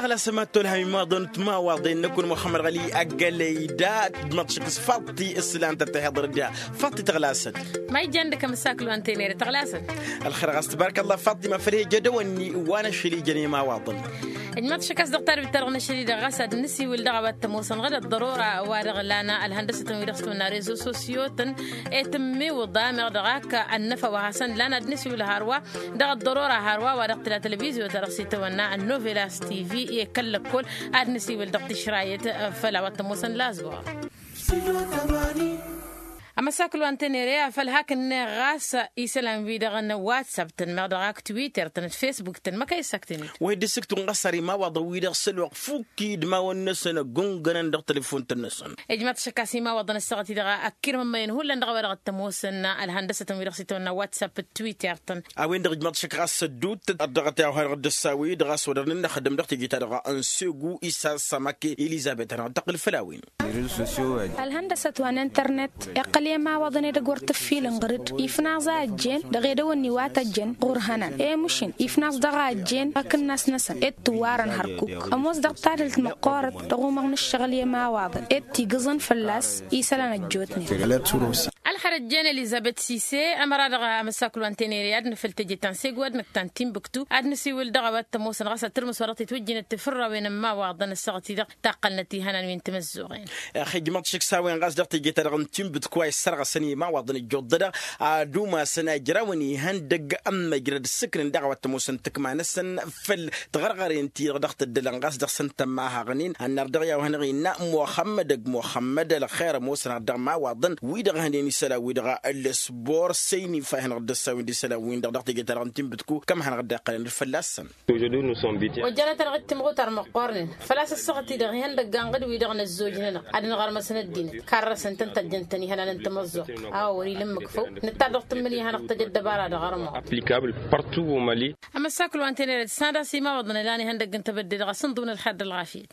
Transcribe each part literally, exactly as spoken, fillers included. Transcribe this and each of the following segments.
Ălasămat tolham imaḍăn timawaḍen n-akun muxămmăd ɣăli ăggălăy da. Ijmaḍ šik s-faḍti s-lan tăt-tăhiḍăr da. Faḍti tăɣlasăt. Ma ijjan dăkăm s-aklu antenere tăɣlasăt. Ălxer ɣas tbarăkăllah faḍti ma făl he-jădăwănni wa n-ašăl ijăn imawaḍăn. Ijmaḍ šik a-s dăɣ-tarbit-ta-dăɣ n-ašăl-i-dăɣ ɣas ad-nǝsiwǝl dăɣ-a-wa t-ămoosăn ɣǝd ăḍḍărora wa dăɣ-lană ălhăndăsătăn wi-dăɣ s-tăwănna rezo sosyo-tăn. I-tǝmmiwǝḍa meɣ dăɣ-ak ănnăfa wa hasăn-lan ad-nǝsiwǝl hărwa dăɣ-ăḍḍărora hărwa wa dăɣ-tǝla tălvizyotăn dăɣ-s itawănna ănnovelas tv i-kăl-lăkkol. Ad-nǝsiwǝl dăɣ-tišrayăt făll-a-wa t-ămoosăn lazwăɣ. Ămăsaklu antenere afăl hak-net ɣas isălan-wi-dăɣ n-whatsapp-tăn meɣ dăɣ-ak twitter-tăn d-facebook-tăn măkăy ăssăktănet. Wa dd-ǝssǝktǝwăn ɣas ar imawaḍăn-wi-dăɣ s-ălwăqq fukk idmawăn-năsăn ăggungănăn dăɣ-telefon-tăn-năsăn. Ijmaḍ šăkkas imawaḍăn ăssaɣăt-i-dăɣ ăkkirmămmăyăn hullan dăɣ-a-wa dăɣ-t-ămoosăn ălhăndăsătăn-wi-dăɣ s-itawănna whatsapp d-twitter-tăn. A-wen-dăɣ ijmaḍ šăkkas ădduuttăt ad-dăɣ-t i-a-wa hanăɣ-dd-ăssawăy dăɣ-a-s wăr dăr-nǝnnăxdăm dăɣ-teje-ta-dăɣ n-segu isa s-amake elizabet hanăɣ-dd-tăqqǝl făll-a-wen. Ălhăndăsăt wa n-internet iqqăl i-ămawaḍăn edăgg wăr t-ǝffilăn ɣǝr-dd ifnaẓ a ăjjeen dăɣ-edăwănni wa tăjjăn ɣur-hănan i-mušin ifnaẓ dăɣ-a ăjjeen akǝnnas-năsăn ed tǝwwarăn hărkuk. Ămoos dăɣ-tadǝlt măqqoorăt dăɣ-umăɣ n-ǝššăɣǝl i-ămawaḍăn ed tigǝẓăn fălla-s isălan ăjjootnen. Ălxărăt jen elizabet sise ămăra dăɣ-amăssaklu wa n-tenere ad-nǝfăl teje ta n-segu ad-nǝkk ta n-tinbǝktu ad-nǝsiwǝl dăɣ-a-wa t-ămoosăn ɣas ad-tǝrmǝs wa dăɣ-titwǝjjǝnăt tifǝrrawen ămmawaḍăn ăssaɣăt-i-dăɣ taqqălnăt ihănan wi n-timǝzzuɣen. Ixijmăḍ šik s-a-wen ɣas dăɣ-teje-ta-dăɣ n-tinbǝtku a isărɣăsăn i-imawaḍăn ǝjjuḍ-dădăɣ ad-umasăn ajrawăn ihăndăgg ămmăjrăd ǝssǝknǝn daɣ a-wa t-ămoosăn tǝkma-năsăn făll-tiɣărɣăren-ti-dăɣ dăɣ-tǝddălăn ɣas dăɣ-săn tămmahăɣnen. Ănnăr dăɣ-i a-wa hanăɣ-innă muxămmăd ăgg muxămmăd ălxer ămoosăn har dăɣ-imawaḍăn wi-dăɣ hănen isălan-wi-dăɣ ăllăsbor săynif a hanăɣ-dd-ăssawen d-isălan-win-dăɣ dăɣ-teje-ta-dăɣ n-tinbǝtku kămm hanăɣ-dd-iqqălăn d-fălla-săn. Ojjănăt-anăɣ-dd timɣutar măqqoornen făl-a-s ăssaɣăt-i-dăɣ ihăndăgg anɣǝd-wi-dăɣ năzzojnăn-anăɣ ad-nǝɣărmăsăn ăddinăt karrăsăn-tăn tăjjăn-tăn ihănan n-tamăẓẓuɣt. A-wa wăr-ila ǝmmǝk făw nǝttar dăɣ-tǝmmǝl i-hanăɣ-tăj ăddăbara dăɣ-armăɣ. Applicable partout au mali. Amăssaklu wa n-tenere tǝssanăt a-s imawaḍăn ǝlan ihăndăgg n-tebădde dăɣ-asǝnḍǝw n-ălxer d-ălɣafyăt.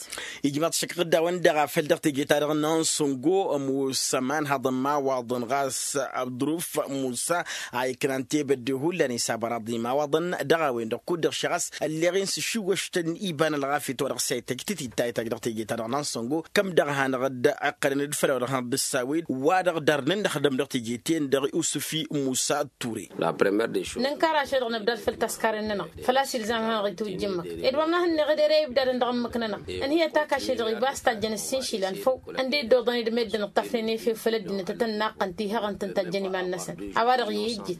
Ijmaḍ šăkk ɣǝdda-wăn-dăɣ a făl dăɣ-teje-ta-dăɣ n-ansăngo ămoos ămanhăḍ n-imawaḍăn ɣas ăḍruf musa a iknan tebădde hullan isabăraḍ n-imawaḍăn. Dăɣ-a-wen-dăɣ kud-dăɣ šăɣ a-s ălleɣ-in s-ašiwăštăn iba n-ălɣafyăt wa dăɣ-s a ităjj tǝtitayt a ijj dăɣ-teje-ta-dăɣ n-ansăngo kăm dăɣ-hanăɣ-dd-iqqălăn d-făll-a-wa dăɣ-hanăɣ-dd-ăssawed wa dăɣ-darnen dăɣ-dăɣ-dăɣ teje-ten-dăɣ usǝfi musa. Ture. Nǝnkar ašăl-dăɣ nǝbdad făll-taskaren-nănăɣ făl-a-s ilzam hanăɣ-itwǝjj ǝmmǝk ed wa n-ahǝnneɣ ed ere ibdadăn dăɣ-ǝmmǝk-nănăɣ. Ǝnhǝyăt-ak ašăl-dăɣ ibas tajjăn ǝssin išilan făw ǝnda iddooḍăn d-meddǝn ǝṭṭafnen efew făll-ăddinăt ad-tăn-naqqăn tihăɣăn tăn-tajjăn iman-năsăn. A-wa-dăɣ i-ijjǝt.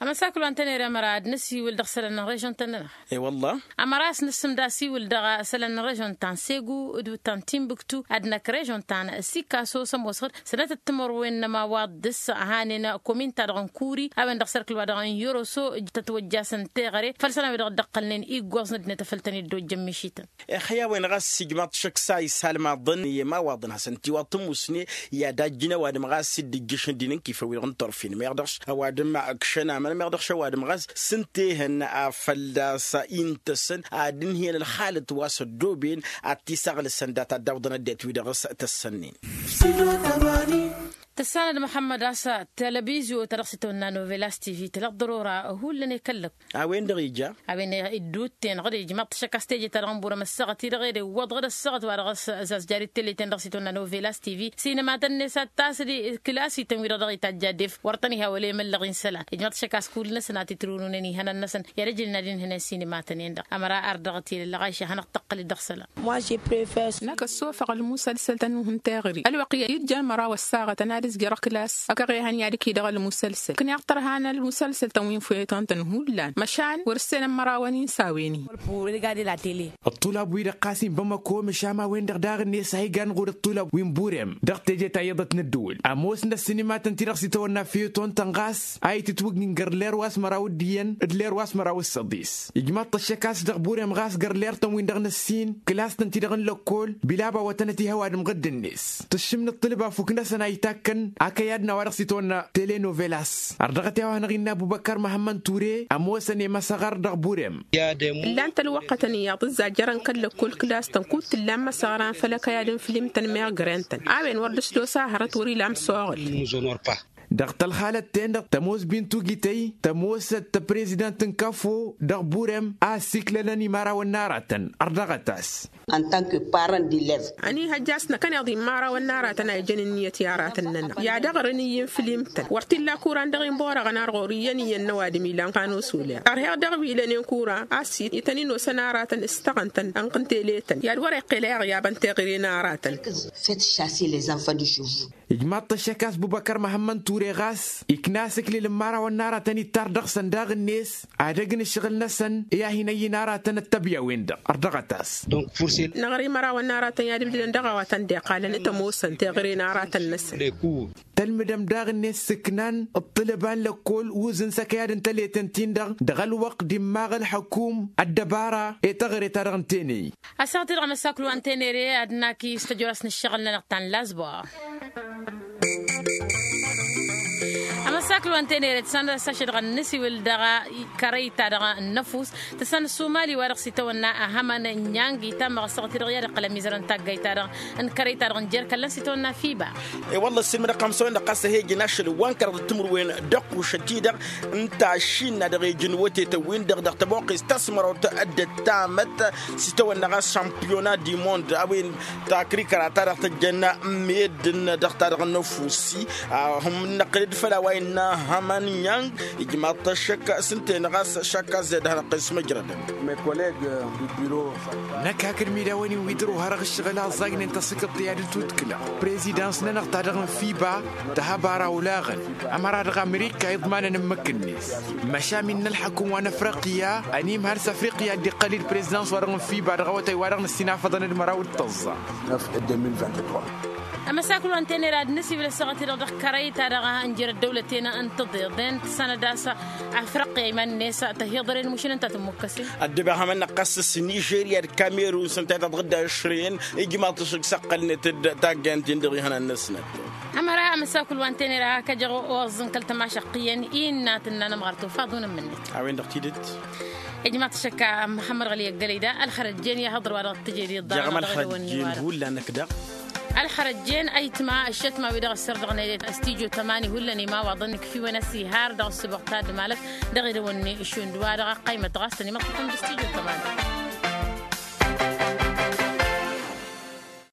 Ămăsaklu wa n-tănere ămăra ad-năsiwǝl dăɣ-isălan n-režon-tăn-nănăɣ. E-wălla. Ămăra a-s nǝssǝmdasiwǝl dăɣ-isălan n-režon ta n-segu d-ta n-tinbǝktu ad-năkk režon ta n-sikaso s-ămoosăɣ-dd sănătăt timărwen n-ămawaḍ dăɣ-s hanen komin-ta-dăɣ n-kuri a-wen-dăɣ s-ărkǝl wa dăɣ-n yoroso. Tătwăjjasăn teɣăre făll-isălan wi dăɣ-dd-ăqqălnen iggoẓ n-ăddinăt a făl tăn-dd-ojjăn mišităn. Ixăy a-wen ɣas ijmaḍ šăkk s-a isalmaḍăn i-ămawaḍăn hasăn-t-iwaḍ tǝmmusne i-ad-ajjǝn ăwadǝm ɣas dd-ǝjjǝšăn d-inǝnkifăn wi-dăɣ n-turfin meɣ dăɣ-š ăwadǝm ǝkšăn amăn meɣ dăɣ-š ăwadǝm ɣas s-ǝntehăn a fălla-s intăsăn ad-ǝnhǝyăn ălxalăt wa s-ăddooben ad-t-isaɣlǝsăn dat-ad-dawḍăn ăddinăt wi-dăɣ s-tăssănnen. Tǝssanăd muḥămmăd a-s televizyo ta dăɣ-s itawănna novelas tv tǝla ăḍḍărora hullan i-kăllăk. A-wen-dăɣ ija. A-wen iddutten ɣǝd ijmaḍ-t šăkk a-s teje-ta-dăɣ n-burăm ăssaɣăt-i-dăɣ ed iwwăḍ ɣǝd ăssaɣăt wa dăɣ-s ăzazjari d-tele-ten-dăɣ s-itawănna novelas tv sinimatăn-net ad-tasăd. Kǝlas-ităn wi-dăɣ dăɣ-itajj ad-ef wăr tăn-iha wăla emăllăɣ-in isălan ijmaḍ-t šăkk a-s kull-năsăn a t-itrǝwnunen ihănan-năsăn i-ad-ăjǝlnen ad-inhǝyăn sinimatăn-en-dăɣ ămăra ar dăɣ-t ilălɣayša hanăɣ-tăqqăl-dd dăɣ-isălan. Năkk ăssofăɣ ălmusălsăl-tăn-wi n-teɣăre ălwăqq i-ijjan măraw ăssaɣătăn ad-ǝzjărăɣ kǝlas ăkăɣehăn i-ad-ǝkidăɣ ălmusălsăl ǝknăɣ tărha n-ălmusălsăl-tăn wi n-foyăton-tăn hullan măšan wăr-ǝssenăn mărawăn-in s-a-wen-in. Ăṭṭulab-wi-dăɣ ɣas inbămăko măšan a-wen-dăɣ daɣ-net a iga ănɣud ăṭṭulab wi n-burem dăɣ-teje ta iyyăḍăt n-ăddǝwǝl ămoosnăt sinimatăn-ti-dăɣ s-itawănna foyăton-tăn ɣas a itǝtwǝgnin găr ler wa s-măraw d-iyyăn d-ler wa s-măraw s-săḍis. Ijmaḍ-t ăššăk a-s dăɣ-burem ɣas găr ler-tăn-win-dăɣ n-ǝssin kǝlas-tăn-ti-dăɣ n-lăkkol bilab awătănăt ih' ăwadǝm ɣǝdd-net tǝššǝm n-ǝṭṭǝlǝb afuk-năsăn a itakk kăn akăyad n-a-wa dăɣ-s itawănna tele novelas. Ar dăɣ-t i-a-wa hanăɣ-innă ăbubăkkar măhămmăn ture ămoosăn i-măsăɣăr dăɣ-burem. Ǝllan-t ălwăqqătăn iyyăḍ ǝzzajjărăn kăl-lăkkol kǝlas-tăn kud-t ǝllan măsăɣran făll-akăyad n-film-tăn meɣ gren-tăn a-wen wăr dăɣ-s d-osa hărăt wăr-ila amsoɣăl. Dăɣ-tălxalăt-ten-dăɣ tămoos bintu gităy tămoosăt tăprezidant n-kăfo dăɣ-burem a ăssiklălăn imărawăn n-aratăn. Ărdăɣăt-as. Ăniihăjja a-s năkkăneḍ imărawăn n-aratăn a ijăn ǝnniyăt i-aratăn-nănăɣ i-ad-ăɣrǝn iyyǝn fǝlim-tăn wăr t-illa kuran dăɣ-inborăɣăn ar ɣur-iyyăn iyyăn n-ăwadǝm ilan kanosole. Ărheɣ dăɣ-wi lănen kura a-s ităn-in-osăn aratăn s-tăɣăn-tăn ănɣ n-tele-tăn i-ad-wăr-iqqel a iɣyabăn teɣăre n-aratăn. Făt šase lez-anfan d-išuvvu. Ijmaḍ-t ăššăk a-s bubăkăr măhămmăn ture ɣas ikna asǝklǝl n-imărawăn n-aratăn ittar dăɣ-săn daɣ-net. Ad-ăgg n-ǝššăɣǝl-năsăn i-ad-hin-ăyy n-aratăn ăttăbya-wen-dăɣ. Ărdăɣăt-as. Năɣri imărawăn n-aratăn i-ad-ǝbdǝdăn dăɣ-a-wa tăn-dd-iqqalăn t-ămoosăn teɣăre n-aratăn-năsăn. Tălmǝdăm daɣ-net s-ǝknan ǝṭṭǝlăba n-lăkkol uzǝn s-ăkăyad n-tăleten-tin-dăɣ dăɣ-ălwăqq d-immaɣ ălxăkum ăddăbara i-taɣre-ta-dăɣ n-teney. Asăɣ-t-dăɣ amăsaklu wa n-tenere ad-nak-i s-tăjorăs n-ǝššăɣǝl-nănăɣ ta n-lazbăɣ. Amăsaklu wa n-tenere tǝssanăt a-s ašăl dăɣ-nǝsiwǝl dăɣ-kărăy-ta-dăɣ n-năfus tǝssanăt sumali wa dăɣ-s itawănna ahămăn n-yang itamăɣ ăssaɣăt-i-dăɣ i-ad-iqqăl ămizărăn taggayt-ta-dăɣ n-kărăy-ta-dăɣ n-jer-kăllăn s-itawănna fiba. I-wălla ăssiilmădăɣ-kămsăwen-dăɣ ɣas ăhej n-ašăl wa n-kăraḍăt timǝrwen d-ăqqušăt-i-dăɣ n-tašinna dăɣ-ejǝnwătetăn-win-dăɣ dăɣ-tăboqqest ta s-măraw d-ăddăt tamăt s-itawănna ɣas šampiyona di mond a-wen takrikăra-ta-dăɣ tăjjăn meddǝn dăɣ-ta-dăɣ n-năfusi. Ad-năqqǝlăd făll-a-wa innă hămăn yang ijmaḍ-t ăššăk s-ǝnta-en ɣas šakka zed ad-hanăɣ-t-s măjrădăn. Năkk hakd imidawăn-in wi dăr-ohărăɣ ǝššăɣǝl a ăẓẓajnen tasǝkǝḍt i-ad-dd-tudkǝlăɣ prezidans-nănăɣ ta dăɣ-n fiba. Tăhăbara olaɣăn ămăra dăɣ-amerika iḍmanăn ǝmmǝk-net măšan innă ălḥăkum wa n-afriqya ănimhăl s-afriqya a dd-iqqăl-dd prezidans wa dăɣ-n fiba dăɣ-awătay wa dăɣ-năssinafăḍăn d-măraw d-tăẓẓa. Amăsakǝl wa n-tenera d-nǝsiwǝl ăssaɣăt-i-dăɣ dăɣ-kărăy-ta-dăɣ n-jer-ăddăwlăten n-tǝḍeḍen tǝssanăd a-s afrăqqi a iman-net tăhiḍăren mušǝlăn ta tǝmmukkăsen. Ăddăbăɣ hamăn-năqqas s-nižerya d-kamerun s-ǝnta i-tăḍɣǝdda ăšrăyăn ijmaḍ-t ăššăk s-ăqqălnet-dd taggayăn-tin-dăɣ ihănan-năsnăt. Ămăra amăsakul wa n-tenera hakăjăɣ oẓẓăn kăl-tămašăqq iyyăn innă tǝnna n-ămɣar tofa ad-unămmǝnnet. A-wen-dăɣ tidǝt. Ijmaḍ-t ăššăk a măhămmăd ɣăli ăggălăy da ălxărăjjen i-ahăḍăr wa dăɣ-tǝjed iḍarăɣ-dăɣ idăwănni wa-dăɣ. Ălxărăjjen ăytma ăššătma wi-dăɣ ăssărdăɣnen stujo tămani hullan imawaḍăn ikfiwăn ăsihar dăɣ-ăssubăɣ ta d-malăt dăɣ-idăwănni šund wa-dăɣ ăqqăymăt ɣas tăn-imăṭṭăfăm d-stujo tămani.